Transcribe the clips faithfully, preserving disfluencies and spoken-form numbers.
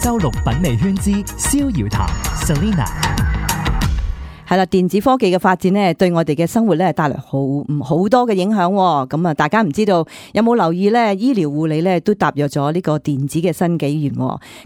周六品味圈之逍遙談 Selena。係啦，電子科技嘅發展咧，對我哋嘅生活咧帶來好唔好多嘅影響。咁啊，大家唔知道有冇留意咧？醫療護理咧都踏入咗呢個電子嘅新紀元。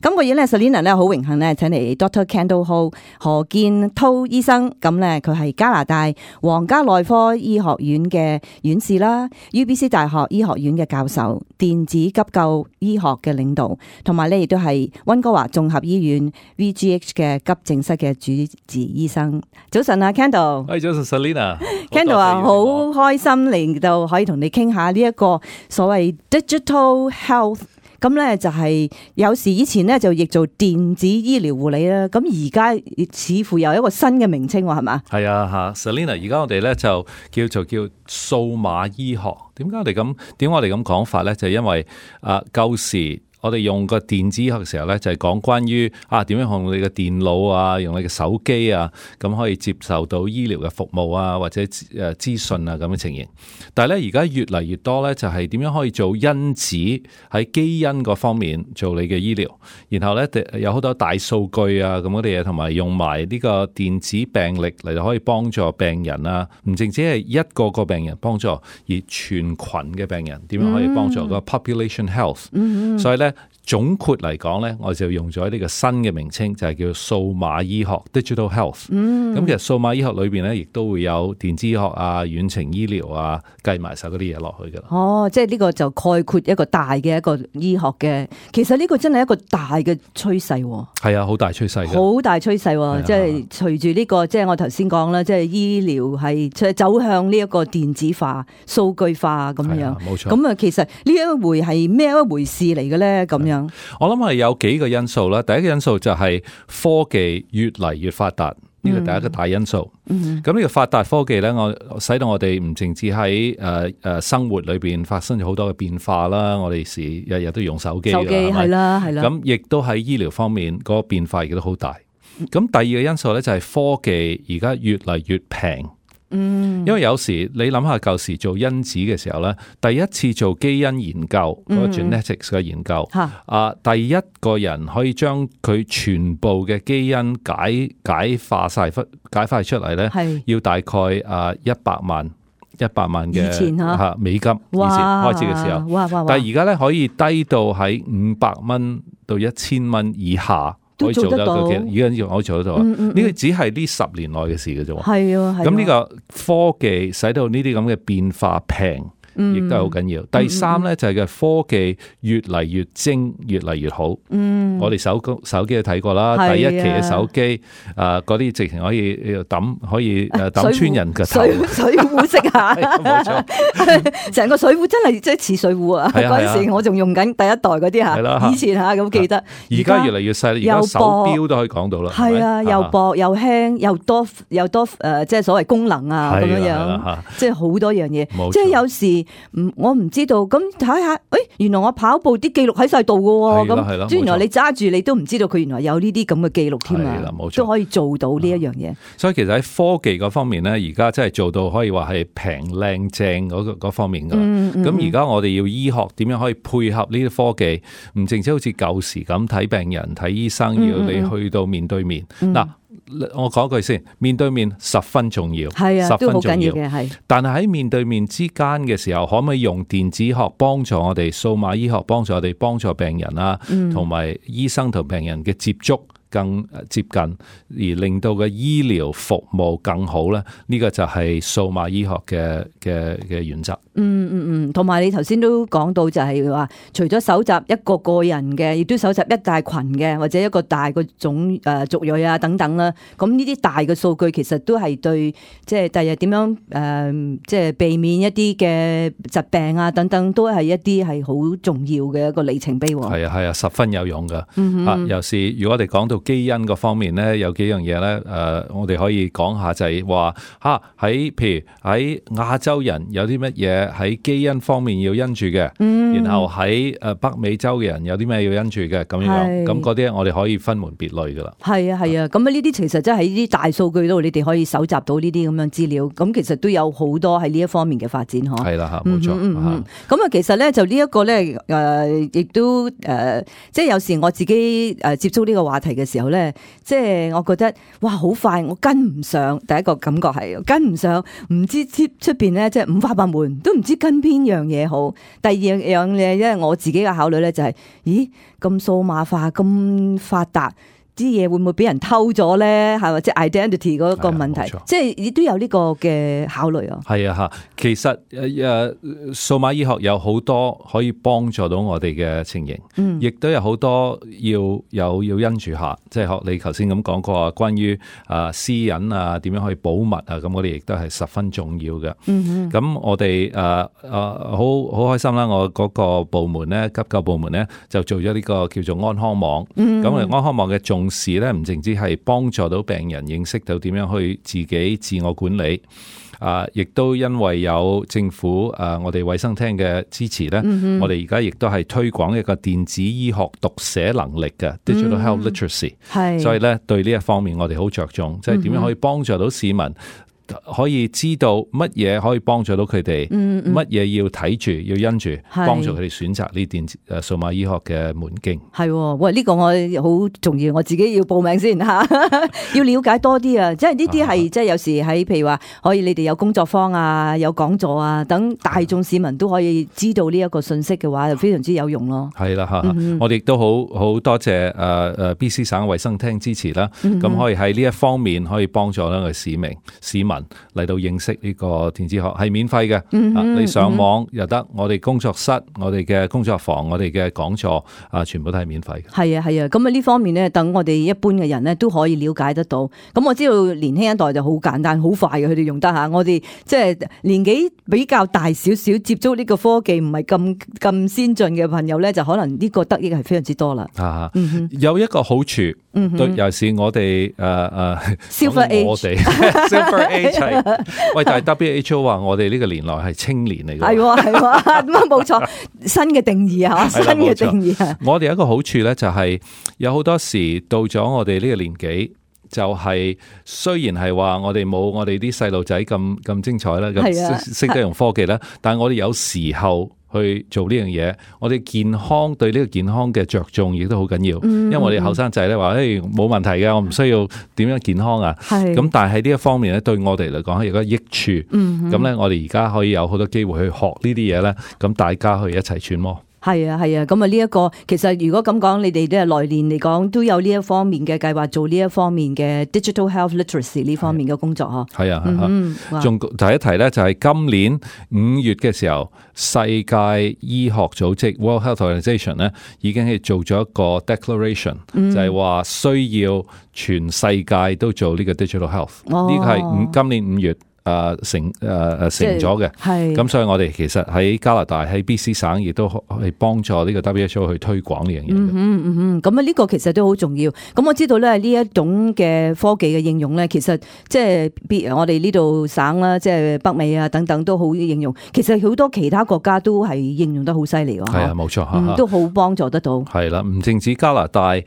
今個月咧 ，Selena 咧好榮幸咧，請嚟 Doctor Kendall Ho 何建滔醫生。咁咧，佢係加拿大皇家內科醫學院嘅院士啦 ，U B C 大學醫學院嘅教授，電子急救醫學嘅領導，同埋咧亦都係溫哥華綜合醫院 V G H 嘅急症室嘅主治醫生。早晨啊 ，Kendall。喂，早晨 Selena。Kendall 啊，好開心嚟到可以同你傾下呢一個所謂 digital health。咁咧就係有時以前咧就譯做電子醫療護理啦。咁而家似乎有一個新嘅名稱喎，係嘛？係啊，吓 Selena。而家我哋咧就叫做叫數碼醫學。點解我哋咁？點解我哋咁講法咧？就係因為啊，舊時。我哋用個電子醫學嘅時候咧，就係講關於啊點樣用你嘅電腦啊，用你嘅手機啊，咁可以接受到醫療嘅服務啊，或者誒資訊啊咁嘅情形。但係咧，而家越嚟越多咧，就係點樣可以做因子喺基因嗰方面做你嘅醫療，然後咧有好多大數據啊咁嗰啲嘢，同埋用埋呢個電子病歷嚟到可以幫助病人啊，唔淨止係一個個病人幫助，而全群嘅病人點樣可以幫助個 population health。嗯、所以咧。總括嚟講咧，我就用咗呢個新嘅名稱，就係叫數碼醫學 （Digital Health）。嗯，咁其實數碼醫學裏邊咧，亦都會有電子醫學啊、遠程醫療啊，計埋晒嗰啲嘢落去噶啦。哦，即係呢個就概括一個大嘅一個醫學嘅，其實呢個真係一個大嘅趨勢。係啊，好大趨勢。好大趨勢，即係隨住呢個，即係我頭先講啦，即係醫療係走向呢一個電子化、數據化咁樣。冇錯。咁啊，其實呢一回係咩一回事嚟嘅咧？咁樣。我諗係有幾個因素啦。第一個因素就係科技越嚟越發達，呢個第一個大因素。咁、嗯、呢個發達科技咧，我使到我哋唔淨止喺誒誒生活裏邊發生咗好多嘅變化啦。我哋時日日都用手機，手機係啦係啦。咁亦都喺醫療方面嗰個變化亦都好大。咁第二個因素咧就係科技而家越嚟越平。嗯，因為有時你諗下舊時做因子嘅時候咧，第一次做基因研究嗰、嗯、個 genetics 嘅研究，啊，第一個人可以將佢全部嘅基因解解化晒解化出嚟咧，要大概啊一百萬一百萬嘅吓美金，以前開始嘅時候，哇哇哇但係而家咧可以低到喺五百蚊到一千蚊以下。可以做得到，而家可以做得到。呢、嗯嗯、個只係呢十年內嘅事嘅啫。係啊，咁呢個科技使到呢啲咁嘅變化平，亦都係好緊要。嗯、第三咧就係嘅科技越嚟越精，越嚟越好。嗯，我哋手手機都睇過啦，第一期嘅手機，誒嗰啲直情可以抌，可以誒抌穿人嘅頭。水水壺式下，冇錯，成個水壺真係即係似水壺啊！嗰陣時我仲用緊第一代嗰啲吓，以前吓咁記得。而家越嚟越細，而家手錶都可以講到啦。係啊，又薄又輕又多又多誒，即係所謂功能啊咁樣樣，即係好多樣嘢。即係有時。唔，我唔知道，咁睇下，誒，原來我跑步啲記錄喺晒度嘅，咁，即係原來你揸住你都唔知道佢原來有呢啲咁嘅記錄添啊，都可以做到呢一樣嘢。所以其實喺科技嗰方面咧，而家真係做到可以話係平靚正嗰個方面噶。咁而家我哋要醫學點樣可以配合呢啲科技，唔淨止好似舊時咁睇病人睇醫生，要你去到面對面嗱。我講句先，面對面十分重要，係啊，十分重要嘅係。但係喺面對面之間嘅時候，可唔可以用電子學幫助我哋數碼醫學幫助我哋幫助病人啊，同埋醫生同病人嘅接觸更接近，而令到個醫療服務更好咧？呢、這個就係數碼醫學嘅嘅嘅原則。嗯嗯嗯，同埋你頭先都講到就係話，除咗搜集一個個人嘅，亦都搜集一大群嘅，或者一個大個種誒族裔啊等等啦。咁呢啲大嘅數據其實都係對，即係第日點樣誒，即、呃、係、就是、避免一啲嘅疾病啊等等，都係一啲係好重要嘅一個里程碑。係啊係啊，十分有用噶。嗯、啊，尤其是如果我哋講到基因嗰方面咧，有幾樣嘢咧，誒、呃，我哋可以講下就係話嚇喺譬如喺亞洲人有啲乜嘢喺基因方面要因住嘅，嗯、然後喺誒北美洲嘅人有啲咩要因住嘅咁樣，咁嗰啲我哋可以分門別類噶啦。係啊係啊，咁啊呢啲其實真係喺啲大數據度，你哋可以搜集到呢啲咁樣資料，咁其實都有好多喺呢一方面嘅發展嗬。係啦嚇，冇錯。咁啊，其實咧就呢一個咧誒，亦都誒、呃，即係有時我自己誒接觸呢個話題嘅時候咧，即係我覺得哇好快，我跟唔上。第一個感覺係跟唔上，唔知出出邊咧即係五花八門，都唔知跟邊樣嘢好。第二樣嘢，因為我自己嘅考慮咧就係、是，咦咁數碼化咁發達。啲嘢會唔會俾人偷咗咧？係咪即係 identity 嗰個問題？即係亦都有呢個嘅考慮啊。係啊，吓，其實誒誒，數碼醫學有好多可以幫助到我哋嘅情形，嗯，亦都有好多要有要因住下，即係學你頭先咁講過，關於啊私隱啊，點樣可以保密啊，咁我哋亦都係十分重要嘅。嗯咁哼我哋誒誒好好開心啦！我嗰個部門咧，急救部門咧，就做咗呢個叫做安康網。咁我哋安康網嘅重同時咧，唔淨止係幫助到病人認識到點樣去自己自我管理，啊，亦都因為有政府啊，我哋衛生廳嘅支持咧，嗯、哼我哋而家亦都係推廣一個電子醫學讀寫能力嘅 Digital Health Literacy，係，所以咧對呢一方面我哋好着重，即係點樣可以幫助到市民。可以知道乜嘢可以幫助到佢哋，乜嘢、嗯、要睇住要因住，幫助佢哋選擇呢電子誒數碼醫學嘅門徑。係，喂，呢、這個我好重要，我自己要報名先吓，要了解多啲啊！即係呢啲係即係有時喺譬如話，可以你哋有工作坊啊，有講座啊，等大眾市民都可以知道呢一個信息嘅話，就非常之有用咯。係啦吓，嗯、我哋亦都好好多謝誒誒 B C 省衛生廳支持啦，咁、嗯、可以喺呢一方面可以幫助呢個市民市民。嚟到認識呢個電子學係免費嘅，嗯哼，你上網又得，我哋工作室、我哋嘅工作房、我哋嘅講座啊，全部都係免費嘅。係啊係啊，咁啊呢方面咧，等我哋一般嘅人咧都可以了解得到。咁我知道年輕一代就好簡單、好快嘅，佢哋用得下。我哋即係年紀比較大少少，接觸呢個科技唔係咁咁先進嘅朋友咧，就可能呢個得益係非常之多啦。啊，嗯、哼有一個好處，嗯、哼對，尤其是我哋誒誒，Silver Age，我哋 Silver Age。喂，但係 W H O 話我哋呢個年代係青年嚟嘅，係係咁啊，冇錯，新嘅定義啊，新嘅定義啊。我哋有一個好處咧，就係有好多時到咗我哋呢個年紀，就係雖然係話我哋冇我哋啲細路仔咁咁精彩啦，咁識得用科技啦，但係我哋有時候。去做呢樣嘢，我哋健康對呢個健康嘅着重亦都好緊要，嗯、因為我哋後生仔咧話，誒冇問題嘅，我唔需要點樣健康啊。咁是但係喺呢一方面咧，對我哋嚟講係有個益處。咁咧、嗯哼，我哋而家可以有好多機會去學呢啲嘢咧，咁大家去一齊揣摩。係啊係啊，咁啊呢一個其實如果咁講，你哋都係來年嚟講都有呢一方面嘅計劃，做呢一方面嘅 digital health literacy 呢方面嘅工作嗬。係啊，仲提一提咧，就係今年五月嘅時候，世界醫學組織 World Health Organization 咧已經係做咗一個 declaration，、嗯、就係話需要全世界都做呢個 digital health。呢、哦、個係五今年五月。誒、呃、成誒誒、呃、成咗嘅，係咁，所以我哋其實喺加拿大喺 B C 省亦都係幫助呢個 W H O 去推廣呢樣嘢。嗯嗯嗯，咁啊呢個其實都好重要。咁我知道咧呢一種嘅科技嘅應用咧，其實即係別我哋呢度省啦，即係北美啊等等都好應用。其實好多其他國家都係應用得好犀利㗎。係啊，冇錯、嗯，都好幫助得到。係啦，唔淨止加拿大，誒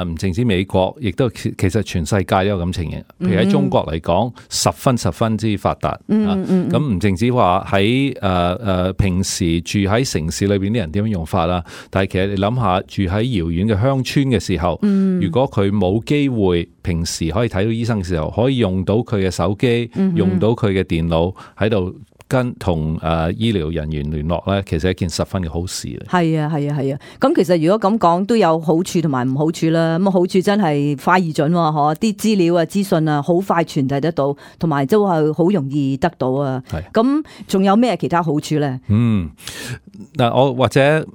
唔淨止美國，亦都其實全世界都有咁情形。譬如喺中國嚟講，十分十分之發達，嗯嗯，咁唔淨止話喺誒誒平時住喺城市裏邊啲人點樣用法啦，但係其實你諗下住喺遙遠嘅鄉村嘅時候，嗯、如果佢冇機會平時可以睇到醫生嘅時候，可以用到佢嘅手機，嗯、哼用到佢嘅電腦喺度。跟同誒醫療人員聯絡咧，其實係一件十分嘅好事嚟。係啊，係啊，係啊。咁其實如果咁講，都有好處同埋唔好處啦。咁好處真係快而準，嗬，啲資料啊、資訊啊，好快傳遞得到，同埋都係好容易得到啊。係。咁仲有咩其他好處咧？嗯，嗱，我或者誒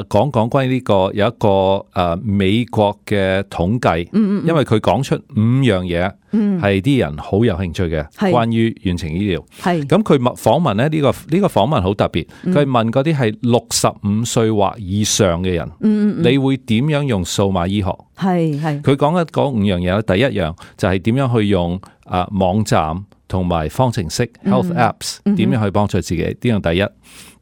講講關於呢個有一個誒、呃、美國嘅統計，嗯嗯因為佢講出五樣嘢係啲人好有興趣嘅，係關於遠程醫療。係咁佢訪問咧呢、呢個呢、呢個訪問好特別，佢問嗰啲係六十五歲或以上嘅人，嗯嗯你會點樣用數碼醫學？係係佢講嘅嗰五樣嘢咧，第一樣就係點樣去用啊、呃、網站同埋方程式 health apps 點樣去幫助自己？呢樣第一。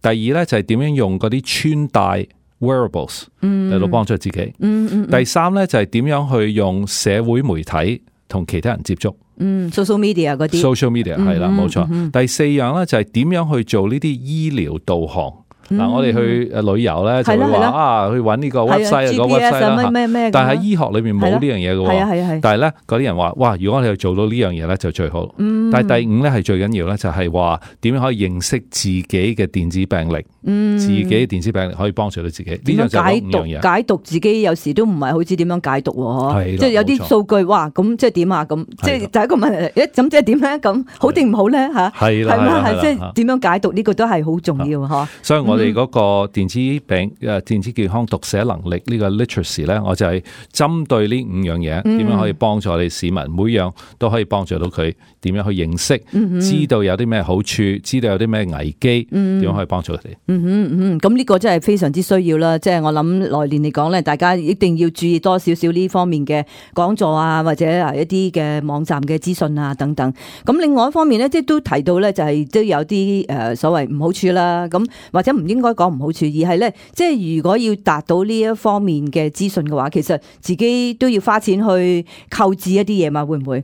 第二咧就係點樣用嗰啲穿戴 wearables 嚟到幫助自己。嗯嗯嗯、第三咧就係點樣去用社會媒體同其他人接觸。嗯 social media 嗰啲 social media 係啦，冇錯。嗯嗯、第四樣咧就係點樣去做呢啲醫療導航。嗱、嗯，我哋去誒旅遊咧，就會話啊，去揾呢個 website 啊，個 website 啦。但係喺醫學裏面冇呢樣嘢嘅喎。但係咧，嗰啲人話，哇！如果我哋做到呢樣嘢咧，就最好。嗯、但係第五咧係最緊要咧，就係話點樣可以認識自己嘅電子病歷。嗯、自己嘅電子病歷可以幫助到自己。呢樣就係五樣嘢。解讀自己有時都唔係好知點樣解讀喎。即係有啲數據，哇！咁即係點啊？咁即係第一個問題，誒咁即係點咧？咁好定唔好咧？嚇係啦，係嘛？係即係點樣解讀呢個都係好重要嚇。所以我哋嗰個電子病誒電子健康讀寫能力呢個 literacy 咧，我就係針對呢五樣嘢，點樣可以幫助我哋市民，每樣都可以幫助到佢點樣去認識，知道有啲咩好處，知道有啲咩危機，點樣可以幫助佢哋。嗯嗯嗯，咁呢個真係非常之需要啦。即係我諗來年嚟講咧，大家一定要注意多少少呢方面嘅講座啊，或者係一啲嘅網站嘅資訊啊等等。咁另外一方面咧，即係都提到咧，就係都有啲誒所謂唔好處啦。咁或者唔應該講唔好處。而係咧，即係如果要達到呢一方面嘅資訊嘅話，其實自己都要花錢去購置一啲嘢嘛，會唔會？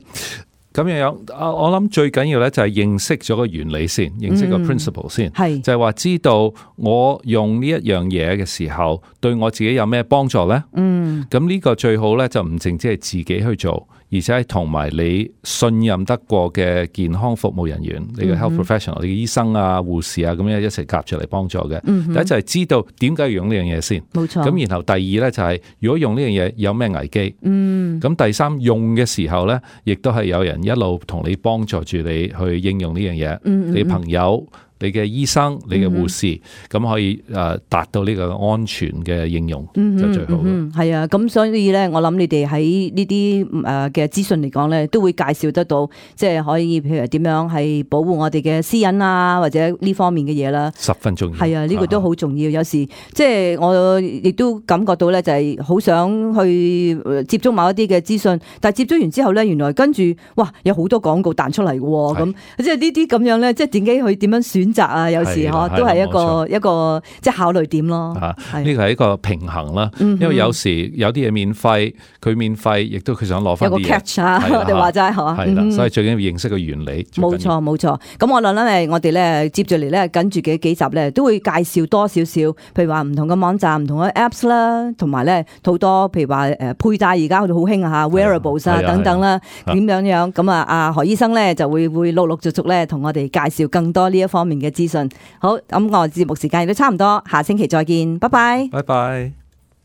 咁樣樣，我諗最緊要咧就係認識咗個原理先，認識個 principle 先，係、嗯、就係話知道我用呢一樣嘢嘅時候，對我自己有咩幫助咧？嗯，咁呢個最好咧就唔淨止係自己去做，而且係同埋你信任得過嘅健康服務人員，你嘅 health professional，、嗯、你嘅醫生啊、護士啊，咁樣一齊夾住嚟幫助嘅。嗯、第一就係知道點解要用呢樣嘢先，冇錯。咁然後第二咧就係、是、如果用呢樣嘢有咩危機，嗯，咁第三用嘅時候咧，亦都係有人一路同你幫助住你去應用呢樣嘢，嗯嗯你朋友。你嘅醫生、你嘅護士，咁、嗯、可以誒達到呢個安全嘅應用、嗯、就最好嘅。係、嗯嗯、啊，咁所以咧，我諗你哋喺呢啲誒嘅資訊嚟講咧，都會介紹得到，即係可以譬如點樣係保護我哋嘅私隱啊，或者呢方面嘅嘢啦。十分重要。係啊，呢、這個都好重要。有時即係我亦都感覺到咧，就係好想去接觸某一啲嘅資訊，但係接觸完之後咧，原來跟住哇有好多廣告彈出嚟嘅喎，咁即係呢啲咁樣咧，即係點解去點樣選擇啊？有時嗬都係一個一個即係考慮點咯。啊，呢個係一個平衡啦。因為有時有啲嘢免費，佢免費，亦都佢想攞翻啲嘢。有個 catch 啊，我哋話齋嗬。係啦，所以最緊要認識個原理。冇錯冇錯。咁我諗咧，我哋咧接住嚟咧，跟住嘅幾集咧，都會介紹多少少，譬如話唔同嘅網站、唔同嘅 apps 啦，同埋咧好多譬如話誒佩戴而家好興啊 wearables 啊等等啦，點樣樣咁啊？阿何醫生咧就會會陸陸續續咧同我哋介紹更多呢一方面嘅資訊。好，咁我節目時間亦都差唔多，下星期再見，拜拜，拜拜。